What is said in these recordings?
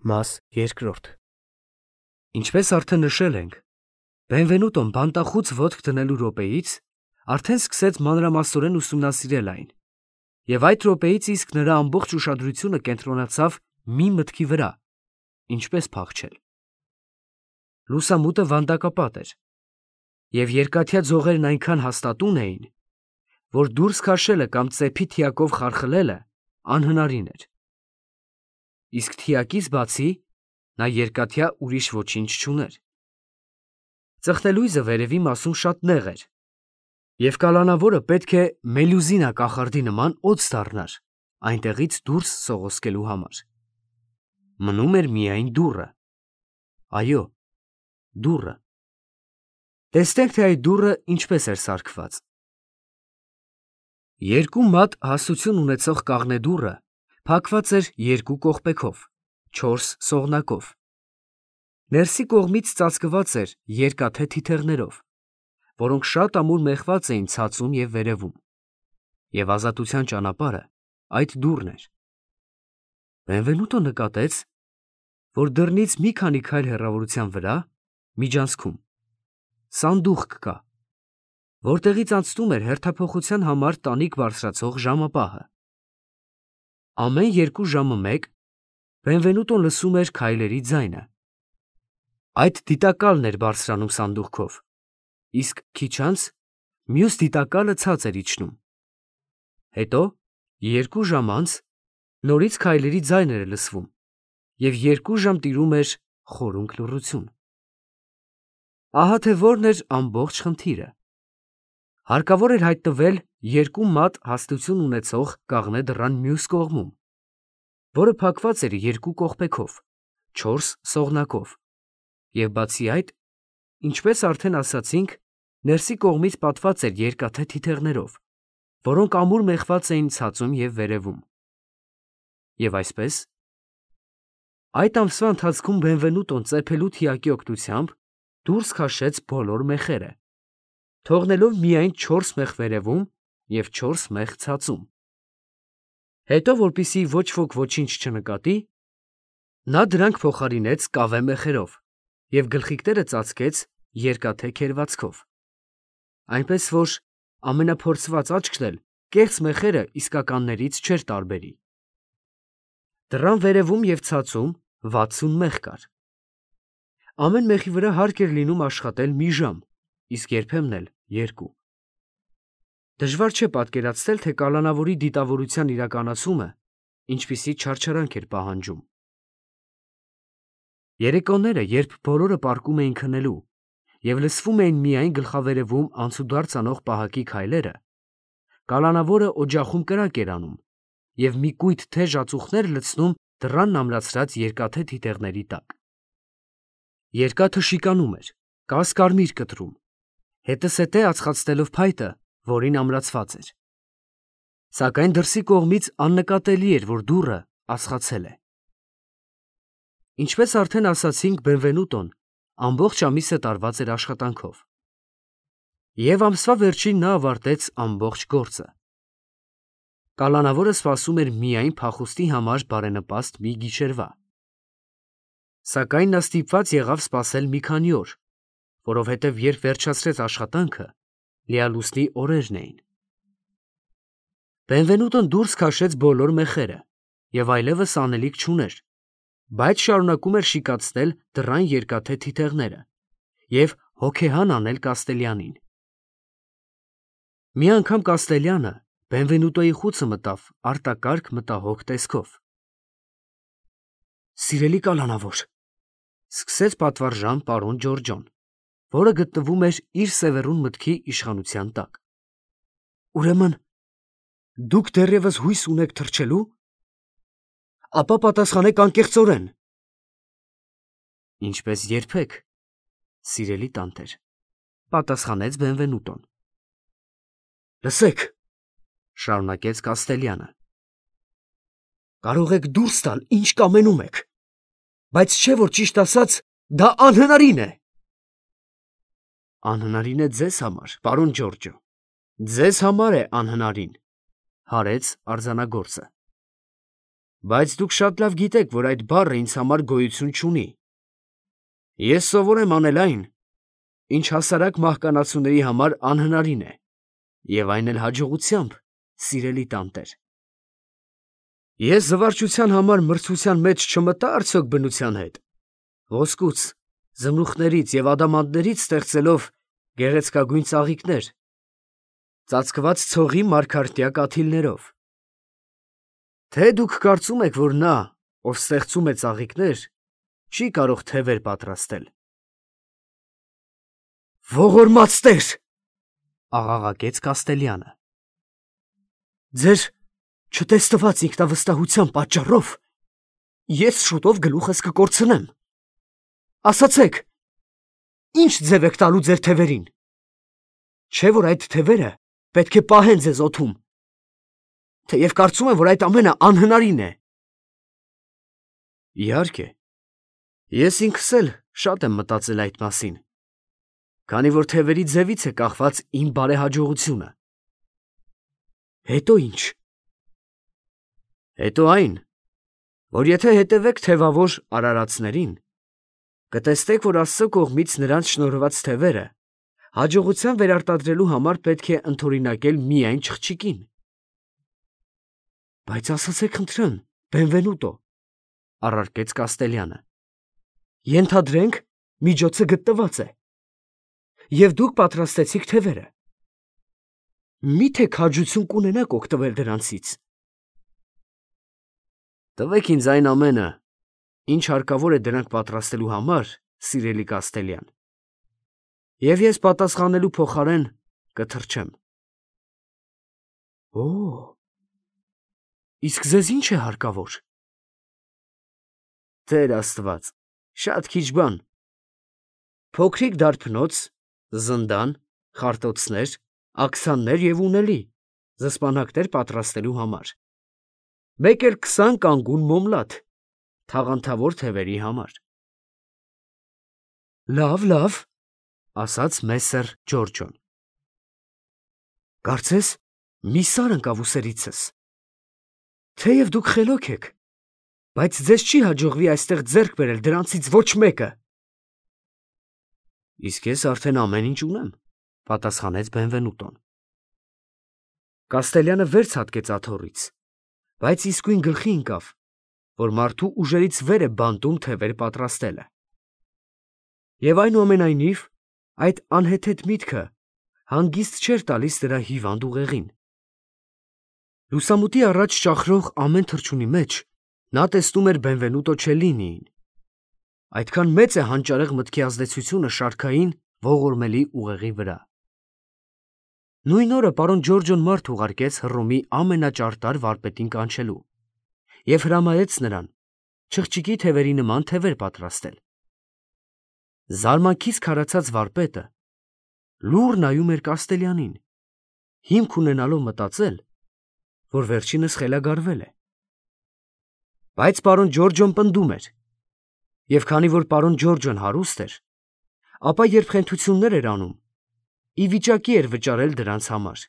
Մաս երկրորդ։ Ինչպես արդեն նշել ենք, Բենվենուտոն բանտախուց ոտք դնելու րոպեից արդեն սկսեց մանրամասնորեն ուսումնասիրել այն, և այդ րոպեից իսկ նրա ամբողջ ուշադրությունը կենտրոնացավ մի մտքի վրա. ինչպես փախչել։ Լուսամուտը վանդակապատ էր, և երկաթյա ձողերն այնքան հաստատուն էին, որ դուրս քաշելը կամ ծեփի թիակով խարխլելը անհնարին էր։ Իսկ թիակից բացի նա երկաթյա ուրիշ ոչինչ չուներ։ Ծխնելույզը վերևի մասում շատ նեղ էր, և կալանավորը պետք է մելյուզինա կախարդի նման օձ դառնար այնտեղից դուրս սողոսկելու համար։ Մնում էր միայն դուռը։ Այո, դուռը։ Տեսնենք, թե այդ դուռը ինչպես էր սարքված։ Երկու մատ հաստություն ունեցող կաղնե դուռը փակված էր երկու կողպեքով, 4 սողնակով։ Ներսի կողմից ծածկված էր երկաթե թիթեղներով, որոնք շատ ամուր մեխված էին ցածում և վերևում, և ազատության ճանապարհը այդ դուռն էր։ Բենվենուտո նկատեց, որ դռնից մի քանի քայլ հեռավորության վրա, միջանցքում, սանդուղք կա, որտեղից անցնում էր հերթափոխության համար տանիք բարձրացող ժամապահը։ Ամեն 2 ժամը մեկ Բենվենուտոն լսում էր քայլերի ձայնը։ Այդ դիտակալն էր բարձրանում սանդուղքով, իսկ քիչ անց մյուս դիտակալը ցած էր իջնում։ Հետո 2 ժամ անց նորից քայլերի ձայն էր լսվում, և 2 ժամ տիրում էր խորունկ լռություն։ Ահա թե որն էր ամբողջ խնդիրը։ Հարկավոր էր հայտնվել 2 մատ հաստություն ունեցող կաղնե դռան մյուս կողմում, որը փակված էր երկու կողպեքով, 4 սողնակով, և բացի այդ, ինչպես արդեն ասացինք, ներսի կողմից պատված էր երկաթե թիթեղներով, որոնք ամուր մեխված էին ցածում և վերևում։ Եվ այսպես, այդ ամսվա ընթացքում Բենվենուտոն ծեփելու թիակի օգնությամբ դուրս քաշեց բոլոր մեխերը, թողնելով միայն 4 մեխ վերևում և 4 մեխ ցածում։ Հետո, որպեսզի ոչ ոք ոչինչ չնկատի, նա դրանք փոխարինեց կավե մեխերով և գլխիկները ծածկեց երկաթե քերծվածքով, այնպես որ ամենափորձված աչքն էլ կեղծ մեխերը իսկականներից չէր տարբերի։ Դռան վերևում և ցածում 60 մեխ կար։ Ամեն մեխի վրա հարկ էր լինում աշխատել մի ժամ, իսկ երբեմն էլ 2։ Դժվար չէ պատկերացնել, թե կալանավորի դիտավորության իրականացումը ինչպիսի չարչարանք էր պահանջում։ Երեկոները, երբ բոլորը պառկում էին քնելու և լսվում էին միայն գլխավերևում անցուդարձ անող պահակի քայլերը, կալանավորը օջախում կրակ էր անում և մի կույտ թեժ ածուխներ լցնում դռանն ամրացրած երկաթե թիթեղների տակ։ Երկաթը շիկանում էր, կաս-կարմիր կտրում, հետզհետե ածխացնելով փայտը, որին ամրացված էր։ Սակայն դրսի կողմից աննկատելի էր, որ դուռը ածխացել է։ Ինչպես արդեն ասացինք, Բենվենուտոն ամբողջ ամիսը տարված էր աշխատանքով, և ամսվա վերջին նա ավարտեց ամբողջ գործը։ Կալանավորը սպասում էր միայն փախուստի համար բարենպաստ մի գիշերվա։ Սակայն նա ստիպված եղավ սպասել մի քանի օր, որովհետև երբ վերջացրեց աշխատանքը, լիալուսնի օրերն էին։ Բենվենուտոն դուրս քաշեց բոլոր մեխերը և այլևս անելիք չուներ, բայց շարունակում էր շիկացնել դռան երկաթե թիթեղները և հոգեհան անել Կաստելյանին։ Մի անգամ Կաստելյանը Բենվենուտոյի խուցը մտավ արտակարգ մտահոգ տեսքով։ «Սիրելի կալանավոր», ֊ սկսեց պատվարժան պարոն Ջորջոն, որը գտնվում էր իր սևեռուն մտքի իշխանության տակ։ «Ուրեմն դուք դեռևս հույս ունեք թռչելու։ Ապա պատասխանեք անկեղծորեն»։ «Ինչպես երբեք, սիրելի տանտեր», ֊ պատասխանեց Բենվենուտոն։ «Լսեք», ֊ շարունակեց Կաստելյանը. «կարող եք դուրս տալ, ինչ կամենում եք, բայց չէ՞ որ ճիշտ ասած դա անհնարին է»։ «Անհնարին է ձեզ համար, պարոն Ջորջո, ձեզ համար է անհնարին», ֊ հարեց արձանագործը։ Բայց դուք շատ լավ գիտեք, որ այդ բառը ինձ համար գոյություն չունի։ Ես սովոր եմ անել այն, ինչ հասարակ մահկանացուների համար անհնարին է, և այն էլ հաջողությամբ, սիրելի տանտեր։ Ես զվարճության համար մրցության մեջ չմտա արդյոք բնության հետ, ոսկուց, զմրուխտներից և ադամանդներից ստեղծելով գեղեցկագույն ծաղիկներ, ծածկված ցողի մարգարտյա կաթիլներով։ Թե դուք կարծում եք, որ նա, ով ստեղծում է ծաղիկներ, չի կարող թևեր պատրաստել։ Ողորմած տեր, աղաղակեց Կաստելյանը։ Ձեր չտեսնված ինքնավստահության պատճառով ես շուտով գլուխս կկորցնեմ։ Ասացեք, ինչ ձև եք տալու ձեր թևերին։ Չէ՞ որ այդ թևերը պետք է պահեն ձեզ օդում, թեև կարծում եմ, որ այդ ամենը անհնարին է։ Իհարկե, ես ինքս էլ շատ եմ մտածել այդ մասին, քանի որ թևերի ձևից է կախված իմ բարեհաջողությունը։ Հետո ինչ։ Հետո այն, որ եթե հետևեք թևավոր արարածներին, կտեսնեք, որ Աստծո կողմից նրանց շնորհված թևերը հաջողության վերարտադրելու համար պետք է ընդօրինակել միայն չղջիկին։ Բայց ասացեք խնդրեմ, Բենվենուտո, առարկեց Կաստելյանը, ենթադրենք, միջոցը գտնված է, և դուք պատրաստեցիք թևերը։ Մի՞թե քաջություն կունենաք օգտվել դրանցից։ Տվեք ինձ այն ամենը, ինչ հարկավոր է դրանք պատրաստելու համար, սիրելի Կաստելյան, և ես պատասխանելու փոխարեն կթրջեմ։ Օ, իսկ ձեզ ինչ է հարկավոր։ Տեր Աստված, շատ քիչ բան։ Փոքրիկ դարբնոց, զնդան, խարտոցներ, աքսաններ և ունելի, զսպանակներ պատրաստելու համար, մեկ էլ 20 կանգուն մոմլաթ, թաղանթավոր թևերի համար։ Լավ, ասաց Մեսսեր Ջորջոն։ Կարծես, մի սար ընկավ ուսերիցս։ Թեև դուք խելոք եք, բայց ձեզ չի հաջողվի այստեղ ձեռք բերել դրանցից ոչ մեկը։ Իսկ ես արդեն ամեն ինչ ունեմ, պատասխանեց Բենվենուտոն։ Կաստելյանը վեր ցատկեց աթոռից, բայց իսկույն գլխի ընկավ, որ մարդու ուժերից վեր է բանտում թևեր պատրաստելը։ Եվ այնուամենայնիվ, այդ անհեթեթ միտքը հանգիստ չէր տալիս դրա հիվանդ ուղեղին։ Լուսամուտի առաջ ճախրող ամեն թռչունի մեջ նա տեսնում էր Բենվենուտո Չելլինիին։ Այդքան մեծ է հանճարեղ մտքի ազդեցությունը շարքային, ողորմելի ուղեղի վրա։ Նույն օրը պարոն Ջորջոն մարդ ուղարկեց Հռոմի ամենաճարտար վարպետին կանչելու և հրամայեց նրան չղջիկի թևերի նման թևեր պատրաստել։ Զարմանքից քարացած վարպետը լուռ նայում էր Կաստելյանին, հիմք ունենալով մտածել, որ վերջինս խելագարվել է։ Բայց պարոն Ջորջոն պնդում էր, և քանի որ պարոն Ջորջոն հարուստ էր, ապա երբ խենթություններ էր անում, ի վիճակի էր վճարել դրանց համար։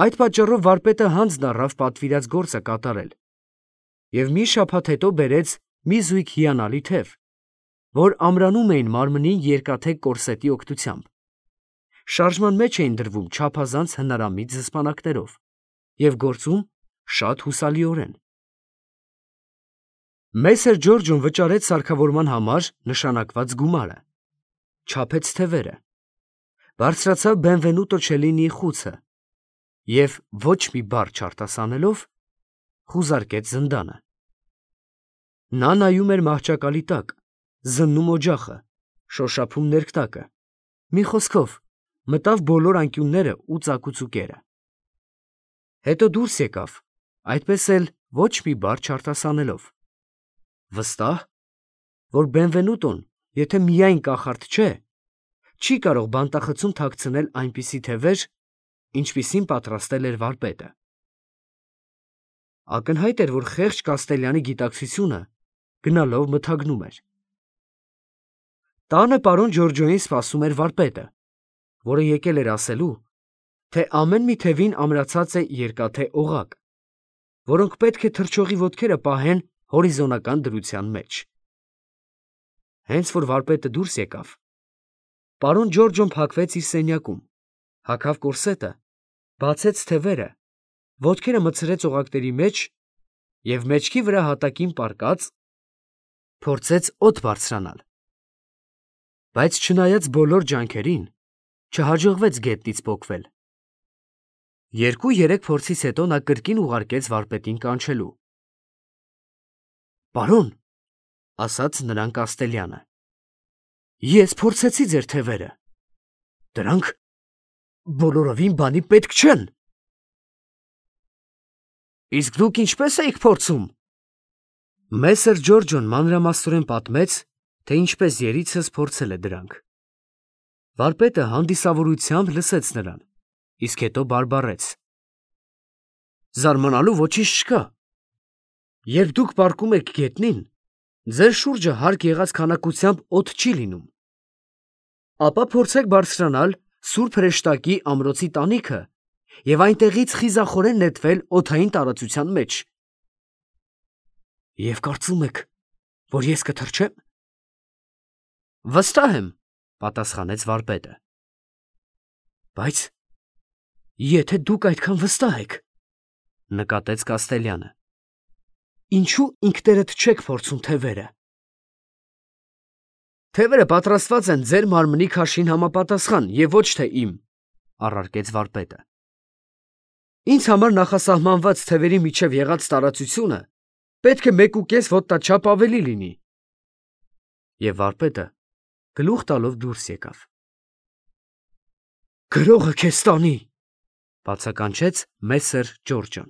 Այդ պատճառով վարպետը հանձն առավ պատվիրած գործը կատարել և մի շաբաթ հետո բերեց մի զույգ հիանալի թև, որ ամրանում էին մարմնին երկաթե կորսետի օգնությամբ, շարժման մեջ էին դրվում չափազանց հնարամիտ զսպանակներով և գործում շատ հուսալիորեն։ Մեսսեր Ջորջոն վճարեց սարքավորման համար նշանակված գումարը, չափեց թևերը, բարձրացավ Բենվենուտո Չելլինիի խուցը և ոչ մի բառ չարտասանելով խուզարկեց զնդանը։ Նա նայում էր մահճակալի տակ, զննում օջախը, շոշափում ներկտակը, մի խոսքով, մտավ բոլոր անկյունները ու ծակուծուկերը։ Հետո դուրս եկավ, այդպես էլ ոչ մի բառ չարտասանելով, վստահ, որ Բենվենուտոն, եթե միայն կախարդ չէ, չի կարող բանտախցում թաքցնել այնպիսի թևեր, ինչպիսին պատրաստել էր վարպետը։ Ակնհայտ էր, որ խեղճ Կաստելյանի գիտակցությունը գնալով մթագնում էր։ Տանը պարոն Ջորջոյին սպասում էր վարպետը, որը եկել էր ասելու, թե ամեն մի թևին ամրացած է երկաթե օղակ, որոնք պետք է թռչողի ոտքերը պահեն հորիզոնական դրության մեջ։ Հենց որ վարպետը դուրս եկավ, պարոն Ջորջոն փակվեց իր սենյակում, հագավ կորսետը, բացեց թևերը, ոտքերը մտցրեց օղակների մեջ և մեջքի վրա հատակին պառկած փորձեց օդ բարձրանալ։ Բայց չնայած բոլոր ջանքերին, չհաջողվեց գետնից պոկվել։ 2-3 փորձից հետո նա կրկին ուղարկեց վարպետին կանչելու։ «Պարոն», ասաց նրան Կաստելյանը, «ես փորձեցի ձեր թևերը, դրանք բոլորովին բանի պետք չեն»։ «Իսկ դուք ինչպե՞ս էիք փորձում»։ Մեսեր Ջորջոն մանրամասնորեն պատմեց, թե ինչպես երիցս փորձել է դրանք։ Վարպետը հանդիսավորությամբ լսեց նրան, իսկ հետո բարբառեց. «Զարմանալու ոչինչ չկա։ Երբ դուք պառկում եք գետնին, ձեր շուրջը հարկ եղած քանակությամբ օդ չի լինում։ Ապա փորձեք բարձրանալ Սուրբ Հրեշտակի ամրոցի տանիքը և այնտեղից խիզախորեն նետվել օդային տարածության մեջ։ Եվ կարծում եք, որ ես կթռչե՞մ»։ «Վստահ եմ», պատասխանեց վարպետը։ «Բայց եթե դուք այդքան վստահ եք, նկատեց Կաստելյանը, ինչու ինքներդ չեք փորձում թևերը»։ «Թևերը պատրաստված են ձեր մարմնի քաշին համապատասխան և ոչ թե իմ», առարկեց վարպետը։ «Ինձ համար նախասահմանված թևերի միջև եղած տարածությունը պետք է 1.5 ոտնաչափ ավելի լինի»։ Եվ վարպետը գլուխ տալով դուրս եկավ։ «Գրողը քեզ տանի», բացականչեց Մեսեր Ջորջոն։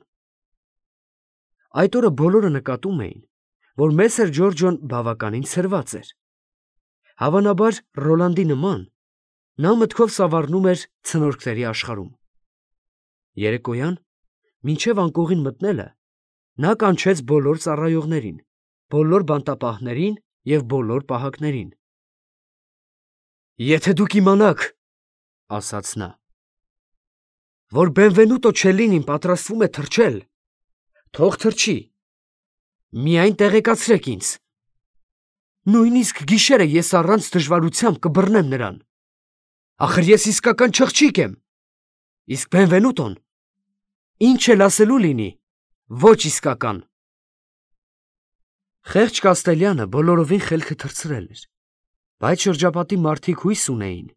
Այդ օրը բոլորը նկատում էին, որ Մեսեր Ջորջոն բավականին ցրված էր։ Հավանաբար Ռոլանդի նման, նա մտքով սավառնում էր ցնորքների աշխարհում։ Երեկոյան, մինչև անկողին մտնելը, նա կանչեց բոլոր ծառայողներին, բոլոր բանտապահներին և բոլոր պահակներին։ «Եթե դուք իմանաք, ֊ ասաց նա, ֊ որ Բենվենուտո Չելլինին պատրաստվում է թռչել, թող թռչի, միայն տեղեկացրեք ինձ։ Նույնիսկ գիշերը ես առանց դժվարությամբ կբռնեմ նրան։ Ախր ես իսկական չղջիկ եմ, իսկ Բենվենուտոն, ինչ էլ ասելու լինի, ոչ իսկական»։ Խեղճ Կաստելյանը բոլորովին խելքը թռցրել էր, բայց շրջապատի մարդիկ հույս ունեին,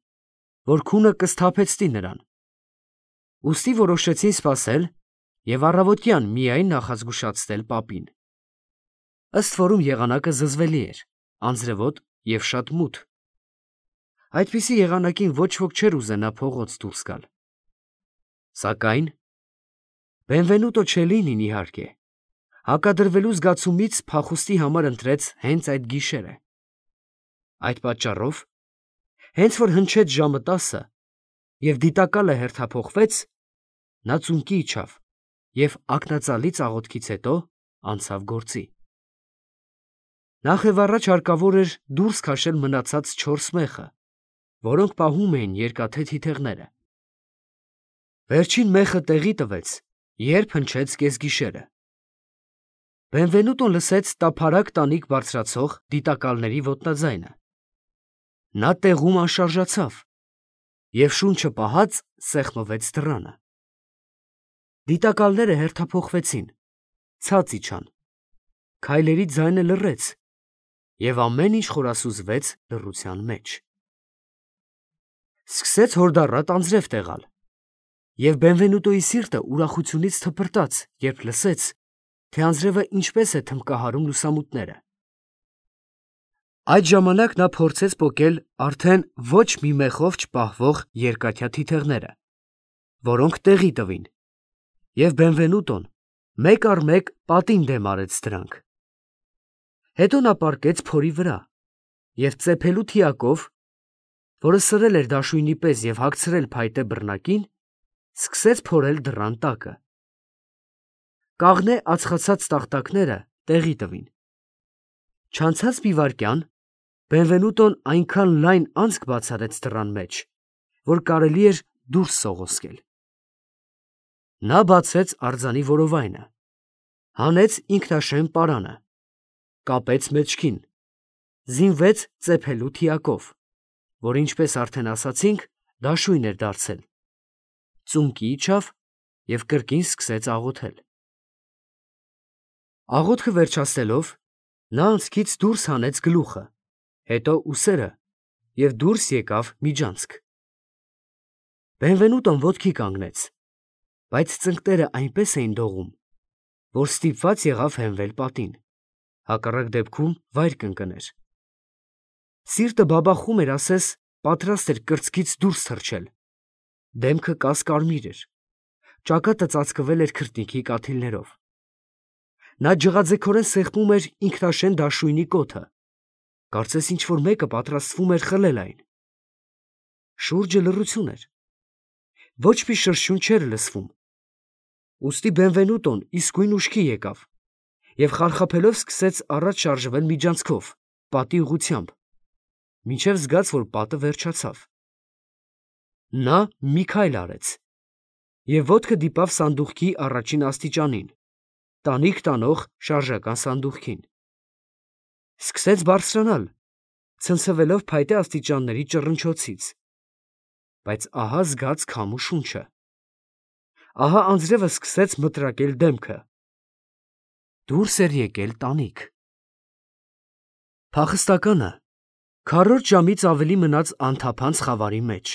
որ քունը կսթափեցնի նրան։ Ուստի որոշեցին սպասել և առավոտյան միայն նախազգուշացնել պապին։ Ըստ որում եղանակը զզվելի էր, անձրևոտ և շատ մութ։ Այդպիսի եղանակին ոչ ոք չէր ուզենա փողոց դուրս գալ։ Սակայն Բենվենուտո Չելլինին, իհարկե, հակադրվելու զգացումից փախուստի համար ընտրեց հենց այդ գիշերը։ Այդ պատճառով, հենց որ հնչեց ժամը 10 և դիտակալը հերթափոխվեց, նա ծունկի իջավ և ակնածալի ծաղոթքից հետո անցավ գործի։ Նախևառաջ հարկավոր էր դուրս քաշել մնացած 4 մեխը, որոնք պահում էին երկաթե թիթեղները։ Վերջին մեխը տեղի տվեց, երբ հնչեց կեսգիշերը։ Բենվենուտոն լսեց տափարակ տանիք բարձրացող դիտակալների ոտնաձայնը։ Նա տեղում անշարժացավ և շունչը պահած սեղմվեց դռանը։ Դիտակալները հերթափոխվեցին, ցած իջան, քայլերի ձայնը լռեց և ամեն ինչ խորասուզվեց լռության մեջ։ Սկսեց հորդառատ անձրև տեղալ, և Բենվենուտոյի սիրտը ուրախությունից թպրտաց, երբ լսեց, թե անձրևը ինչպես է թմբկահարում լուսամուտները։ Այդ ժամանակ նա փորձեց պոկել արդեն ոչ մի մեխով չպահվող երկաթյա թիթեղները, որոնք տեղի տվին, և Բենվենուտոն մեկ առ մեկ պատին դեմ արեց դրանք։ Հետո նա պառկեց փորի վրա և ծեփելու թիակով, որը սրել էր դաշույնի պես և հագցրել փայտե բռնակին, սկսեց փորել դռան տակը։ Կաղնե ածխացած տախտակները տեղի տվին։ Չանցած մի վայրկյան Բենվենուտոն այնքան լայն անցք բացարեց դռան մեջ, որ կարելի էր դուրս սողոսկել։ Նա բացեց արձանի որովայնը հանեց ինքնաշեն պարանը, կապեց մեջքին, զինվեց ծեփելու թիակով, որ ինչպես արդեն ասացինք, դաշույն էր դարձել, ծունկի իջավ և կրկին սկսեց աղոթել։ Աղոթքը վերջացնելով, նա անցքից դուրս հանեց գլուխը, հետո ուսերը և դուրս եկավ միջանցք։ Բենվենուտոն ոտքի կանգնեց, բայց ծնկները այնպես էին դողում, որ ստիպված եղավ հենվել պատին, հակառակ դեպքում վայր կընկներ։ Սիրտը բաբախում էր, ասես պատրաստ էր կրծքից դուրս թռչել, դեմքը կասկարմիր էր, ճակատը ծածկվել էր քրտինքի կաթիլներով։ Նա ջղաձգորեն սեղմում էր ինքնաշեն դաշույնի կոթը, կարծես ինչ-որ մեկը պատրաստվում էր խլել այն։ Շուրջը լռություն էր, ոչ մի շրշյուն չէր լսվում։ Ուստի Բենվենուտոն իսկույն ուշքի եկավ և խարխափելով սկսեց առաջ շարժվել միջանցքով, պատի ուղղությամբ, մինչև զգաց, որ պատը վերջացավ։ Նա մի քայլ արեց և ոտքը դիպավ սանդուղքի առաջին աստիճանին, տանիք տանող շարժական սանդուղքին։ Սկսեց բարձրանալ, ցնցվելով փայտե աստիճանների ճռնչոցից, բայց ահա զգաց քամու շունչը։ Ահա անձրևը սկսեց մտրակել դեմքը։ Դուրս էր եկել տանիք։ Փախստականը քառորդ ժամից ավելի մնաց անթափանց խավարի մեջ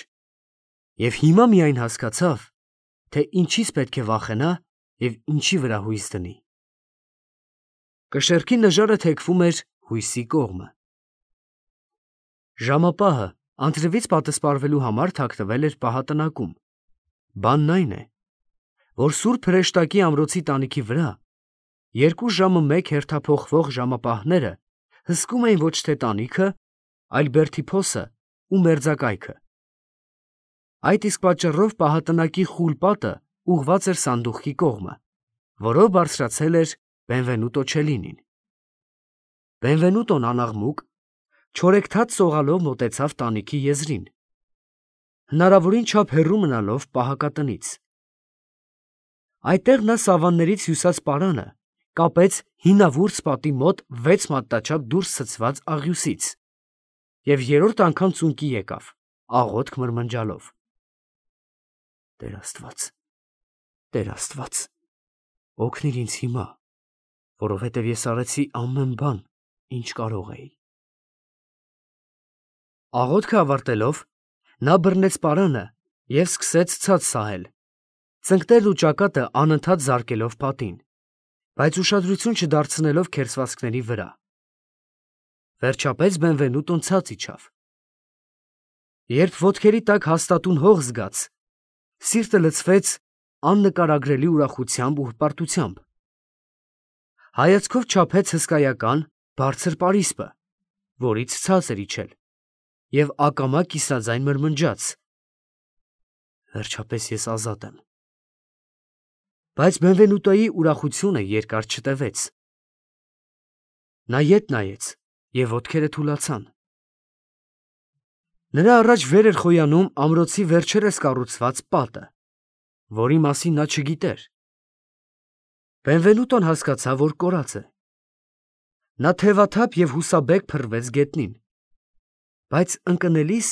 և հիմա միայն հասկացավ, թե ինչից պետք է վախենա և ինչի վրա հույս դնի։ Կշեռքի նժարը թեքվում էր հույսի կողմը։ Ժամապահը անձրևից պատսպարվելու համար թաքնվել էր պահատնակում։ Բանն այն է, որ Սուրբ Հրեշտակի ամրոցի տանիքի վրա 2 ժամը մեկ հերթափոխվող ժամապահները հսկում էին ոչ թե տանիքը, այլ բերդի փոսը ու մերձակայքը։ Այդ իսկ պատճառով պահատնակի խուլ պատը ուղղված էր սանդուղքի կողմը, որով բարձրացել էր Բենվենուտո Չելինին։ Բենվենուտոն անաղմուկ, չորեքթաթ սողալով մոտեցավ տանիքի եզրին, հնարավորին չափ հեռու մնալով պահակատնից։ Այդտեղ նա սավաններից հյուսած պարանը կապեց հինավուրց պատի մոտ 6 մատնաչափ դուրս ցցված աղյուսից և երրորդ անգամ ծունկի եկավ, աղոթք մրմնջալով. «Տեր Աստված, Տեր Աստված, օգնիր ինձ հիմա, որովհետև ես արեցի ամեն բան, ինչ կարող էի»։ Աղոթքը ավարտելով, նա բռնեց պարանը և սկսեց ցած սահել, ծնկներն ու ճակատը անընդհատ զարկելով պատին, բայց ուշադրություն չդարձնելով քերծվածքների վրա։ Վերջապես Բենվենուտոն ցած իջավ։ Երբ ոտքերի տակ հաստատուն հող զգաց, սիրտը լցվեց աննկարագրելի ուրախությամբ ու հպարտությամբ։ Հայացքով չափեց հսկայական, բարձր պարիսպը, որից ցած էր իջել, և ակամա կիսաձայն մրմնջաց. «Վերջապես ես ազատ եմ»։ Բայց Բենվենուտոյի ուրախությունը երկար չտևեց։ Նա ետ նայեց, և ոտքերը թուլացան։ Նրա առաջ վեր էր խոյանում ամրոցի վերջերս կառուցված պատը, որի մասին նա չգիտեր։ Բենվենուտոն հասկացավ, որ կորած է։ Նա թևաթափ և հուսաբեկ փռվեց գետնին, բայց ընկնելիս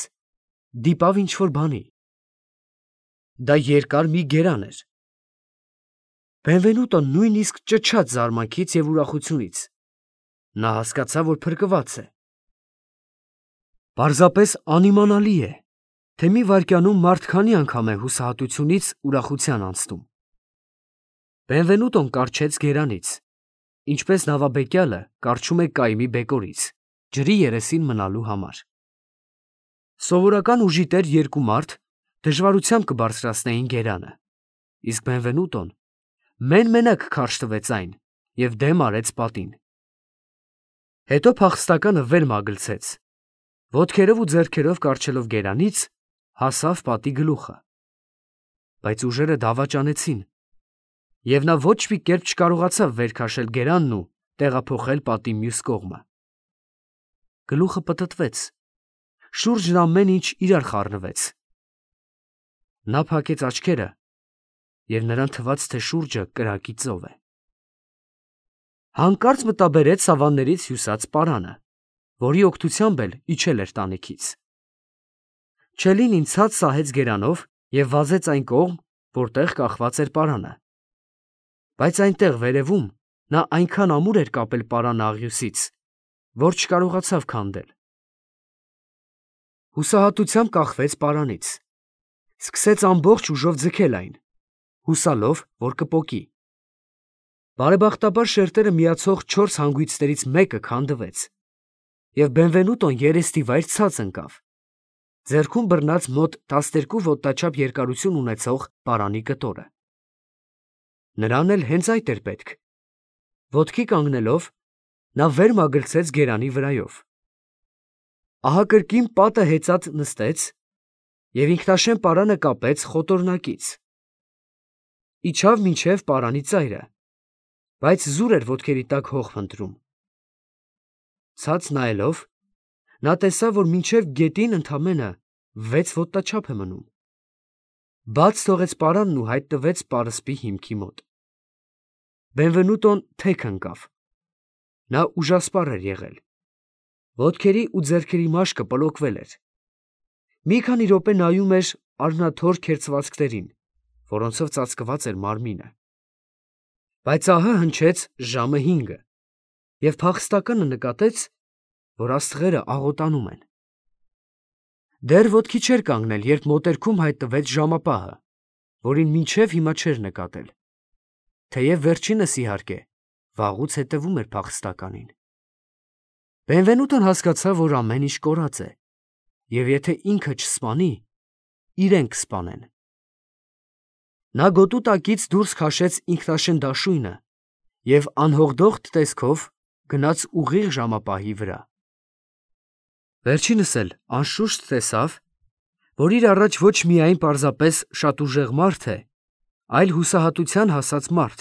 դիպավ ինչ-որ բանի։ Դա երկար մի գերան էր։ Բենվենուտոն նույնիսկ ճչաց զարմանքից և ուրախությունից։ Նա հասկացավ, որ փրկված է։ Պարզապես անիմանալի է, թե մի վայրկյանում մարդ քանի անգամ է հուսահատությունից ուրախության անցնում։ Բենվենուտոն կառչեց գերանից, ինչպես նավաբեկյալը կառչում է կայմի բեկորից, ջրի երեսին մնալու համար։ Սովորական ուժի տեր 2 մարդ դժվարությամբ կբարձրացնեին գերանը, իսկ Բենվենուտոն մեն֊մենակ քարշ տվեց այն և դեմ արեց պատին։ Հետո փախստականը վեր մագլցեց, ոտքերով ու ձեռքերով կառչելով գերանից, հասավ պատի գլուխը։ Բայց ուժերը դավաճանեցին, և նա ոչ մի կերպ չկարողացավ վեր քաշել գերանն ու տեղափոխել պատի մյուս կողմը։ Գլուխը պտտվեց, շուրջն ամեն ինչ իրար խառնվեց։ Նա փակեց աչքերը, և նրան թվաց, թե շուրջը կրակի ծով է։ Հանկարծ մտաբերեց սավաններից հյուսած պարանը, որի օգնությամբ էլ իջել էր տանիքից։ Չելինին ցած սահեց գերանով և վազեց այն կողմ, որտեղ կախված էր պարանը։ Բայց այնտեղ վերևում նա այնքան ամուր էր կապել պարանը աղյուսից, որ չկարողացավ քանդել։ Հուսահատությամբ կախվեց պարանից, սկսեց ամբողջ ուժով ձգել այն, հուսալով, որ կպոկի։ Բարեբախտաբար շերտերը միացող 4 հանգույցներից մեկը քանդվեց, և Բենվենուտոն երեստիվայր ցած ընկավ, ձեռքում բռնած մոտ 12 ոտնաչափ երկարություն ունեցող պարանի կտորը։ Նրան էլ հենց այդ էր պետք։ Ոտքի կանգնելով, նա վեր մագլցեց գերանի վրայով։ Ահա կրկին պատը հեծած նստեց և ինքնաշեն պարանը կապեց խոտորնակից։ Իջավ մինչև պարանի ծայրը, բայց զուր էր ոտքերի տակ հող փնտրում։ Ցած նայելով, նա տեսավ, որ մինչև գետին ընդամենը 6 ոտնաչափ է մնում։ Բաց թողեց պարանն ու հայտնվեց պարսպի հիմքի մոտ։ Բենվենուտոն թեք ընկավ։ Նա ուժասպառ էր եղել։ Ոտքերի ու ձեռքերի մաշկը պլոկվել էր։ Մի քանի րոպե նայում էր առնաթոր քերծվածքներին, որոնցով ծածկված էր մարմինը։ Բայց ահա հնչեց ժամը 5-ը, և փախստականը նկատեց, որ աստղերը աղոտանում են։ Դեռ ոտքի չէր կանգնել, երբ մոտերքում հայտնվեց ժամապահը, որին մինչև հիմա չէր նկատել, թեև վերջինս, իհարկե, վաղուց հետևում էր փախստականին։ Բենվենուտոն հասկացավ, որ ամեն ինչ կորած է, և եթե ինքը չսպանի, իրեն կսպանեն։ Նա գոտու տակից դուրս քաշեց ինքնաշեն դաշույնը և անհողդող տեսքով գնաց ուղիղ ժամապահի վրա։ Վերջինս էլ անշուշտ տեսավ, որ իր առաջ ոչ միայն պարզապես շատ ուժեղ մարդ է, այլ հուսահատության հասած մարդ,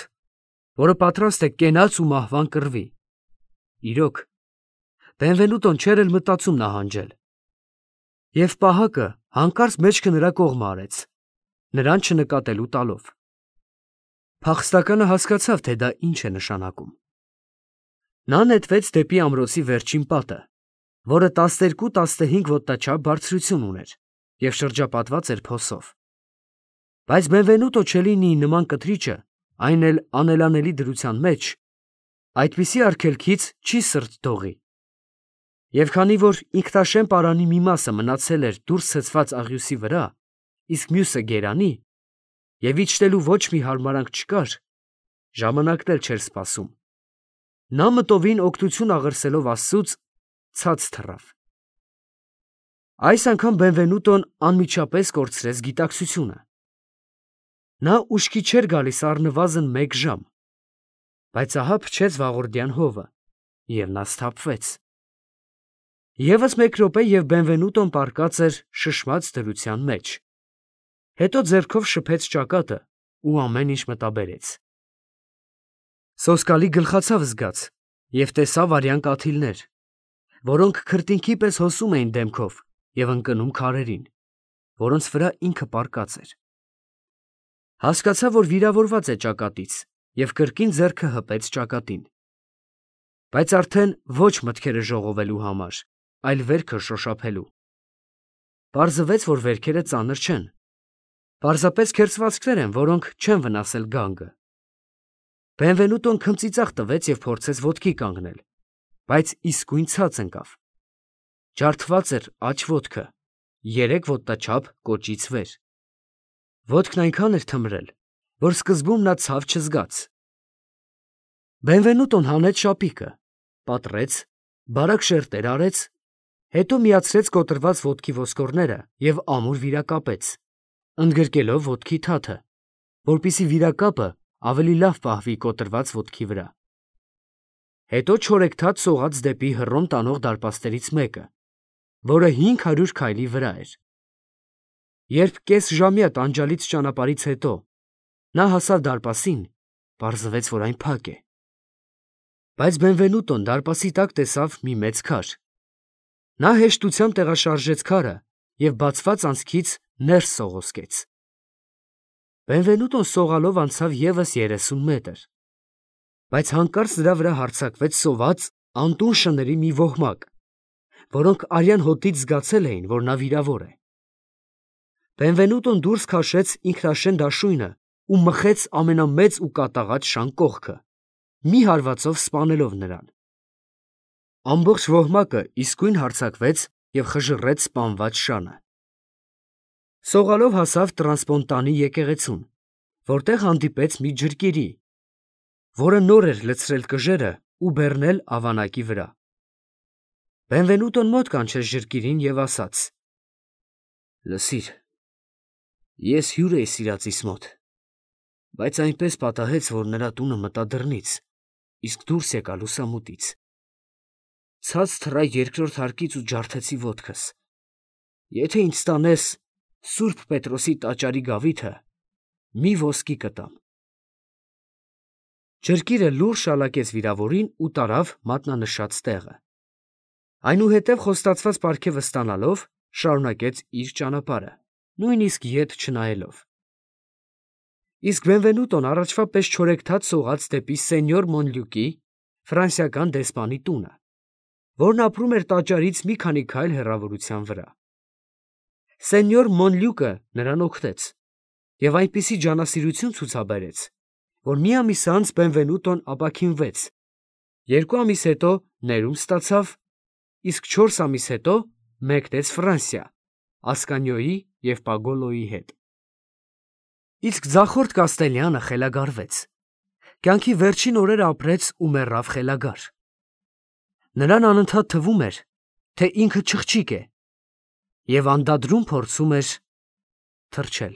որը պատրաստ է կենաց ու մահվան կռվի։ Իրոք, Բենվենուտոն չէր էլ մտածում նահանջել։ Եվ պահակը հանկարծ մեջքը նրա կողմը արեց, նրան չնկատելու տալով։ Փախստականը հասկացավ, թե դա ինչ է նշանակում։ Նա նետվեց դեպի ամրոցի վերջին պատը, որը 12-15 ոտնաչափ բարձրություն ուներ և շրջապատված էր փոսով։ Բայց Բենվենուտո Չելինիի նման կտրիճը, այն էլ անելանելի դրության մեջ, այդպիսի արգելքից չի սրտ դողի։ Եվ քանի որ ինքնաշեն պարանի մի մասը մնացել էր դուրս ցցված աղյուսի վրա, իսկ մյուսը գերանի, և իջնելու ոչ մի հարմարանք չկար, ժամանակն էլ չէր սպասում, նա մտովին օգնություն աղրսելով Աստծուց, ցած թռավ։ Այս անգամ Բենվենուտոն անմիջապես կորցրեց գիտակցությունը։ Նա ուշքի չէր գալիս առնվազն 1 ժամ, բայց ահա փչեց վաղորդյան հովը, և նա սթափվեց։ Եվս 1 րոպե, և Բենվենուտոն պառկած էր շշմած դրության մեջ։ Հետո ձեռքով շփեց ճակատը ու ամեն ինչ մտաբերեց։ Սոսկալի գլխացավ զգաց և տեսավ արյան կաթիլներ, որոնք քրտինքի պես հոսում էին դեմքով և ընկնում քարերին, որոնց վրա ինքը պառկած էր։ Հասկացավ, որ վիրավորված է ճակատից և կրկին ձեռքը հպեց ճակատին։ Բայց արդեն ոչ մտքերը ժողովելու համար, այլ վերքը շոշափելու։ Պարզվեց, որ վերքերը ծանր չեն, պարզապես քերծվածքներ են, որոնք չեն վնասել գանգը։ Բենվենուտոն քմծիծաղ տվեց և փորձեց ոտքի կանգնել, բայց իսկույն ցած ընկավ։ Ջարդված էր աջ ոտքը, 3 ոտնաչափ կոճից վեր։ Ոտքն այնքան էր թմրել, որ սկզբում նա ցավ չզգաց։ Բենվենուտոն հանեց շապիկը, պատռեց, բարակ շերտեր արեց, հետո միացրեց կոտրված ոտքի ոսկորները և ամուր վիրակապեց, ընդգրկելով ոտքի թաթը, որպեսզի վիրակապը ավելի լավ պահվի կոտրված ոտքի վրա։ Հետո չորեքթաթ սողաց դեպի Հռոմ տանող դարպասներից մեկը, որը 500 քայլի վրա էր։ Երբ կեսժամյա տանջալից ճանապարհից հետո նա հասավ դարպասին, պարզվեց, որ այն փակ է։ Բայց Բենվենուտոն դարպասի տակ տեսավ մի մեծ քար։ Նա հեշտությամբ տեղաշարժեց քարը և բացված անցքից ներս սողոսկեց։ Բենվենուտոն սողալով անցավ ևս 30 մետր։ բայց հանկարծ նրա վրա հարձակվեց սոված անտուն շների մի ոհմակ, որոնք արյան հոտից զգացել էին, որ նա վիրավոր է։ Բենվենուտոն դուրս քաշեց ինքնաշեն դաշույնը ու մխեց ամենամեծ ու կատաղած շան կողքը, մի հարվածով սպանելով նրան։ Ամբողջ ոհմակը իսկույն հարձակվեց և խժռեց սպանված շանը։ Սողալով հասավ տրանսպոնտանի եկեղեցուն, որտեղ հանդիպեց մի ջրկիրի, որը նոր էր լցրել կժերը ու բեռնել ավանակի վրա։ Բենվենուտոն մոտ կանչեց ջրկիրին և ասաց. «Լսիր, ես հյուր էի սիրածիս մոտ, բայց այնպես պատահեց, որ նրա տունը մտա դռնից, իսկ դուրս եկա լուսամուտից։ Ցած թռա երկրորդ հարկից ու ջարդեցի ոտքս։ Եթե ինձ տանես Սուրբ Պետրոսի տաճարի գավիթը, մի ոսկի կտամ»։ Ջրկիրը լուռ շալակեց վիրավորին ու տարավ մատնանշած տեղը։ Այնուհետև խոստացված պարգևը ստանալով, շարունակեց իր ճանապարհը, նույնիսկ ետ չնայելով։ Իսկ Բենվենուտոն առաջվա պես չորեքթաթ սողաց դեպի սենյոր Մոնլյուկի, ֆրանսիական դեսպանի տունը, որն ապրում էր տաճարից մի քանի քայլ հեռավորության վրա։ Սենյոր Մոնլյուկը նրան օգնեց և այնպիսի ջանասիրություն ցուցաբերեց, որ մի ամիս անց Բենվենուտոն ապաքինվեց, 2 ամիս հետո ներում ստացավ, իսկ 4 ամիս հետո մեկնեց Ֆրանսիա Ասկանիոյի և Պագոլոյի հետ։ Իսկ ձախորդ Կաստելյանը խելագարվեց, կյանքի վերջին օրերը ապրեց ու մեռավ խելագար։ Նրան անընդհատ թվում էր, թե ինքը չղջիկ է և անդադրում փորձում էր թրջել։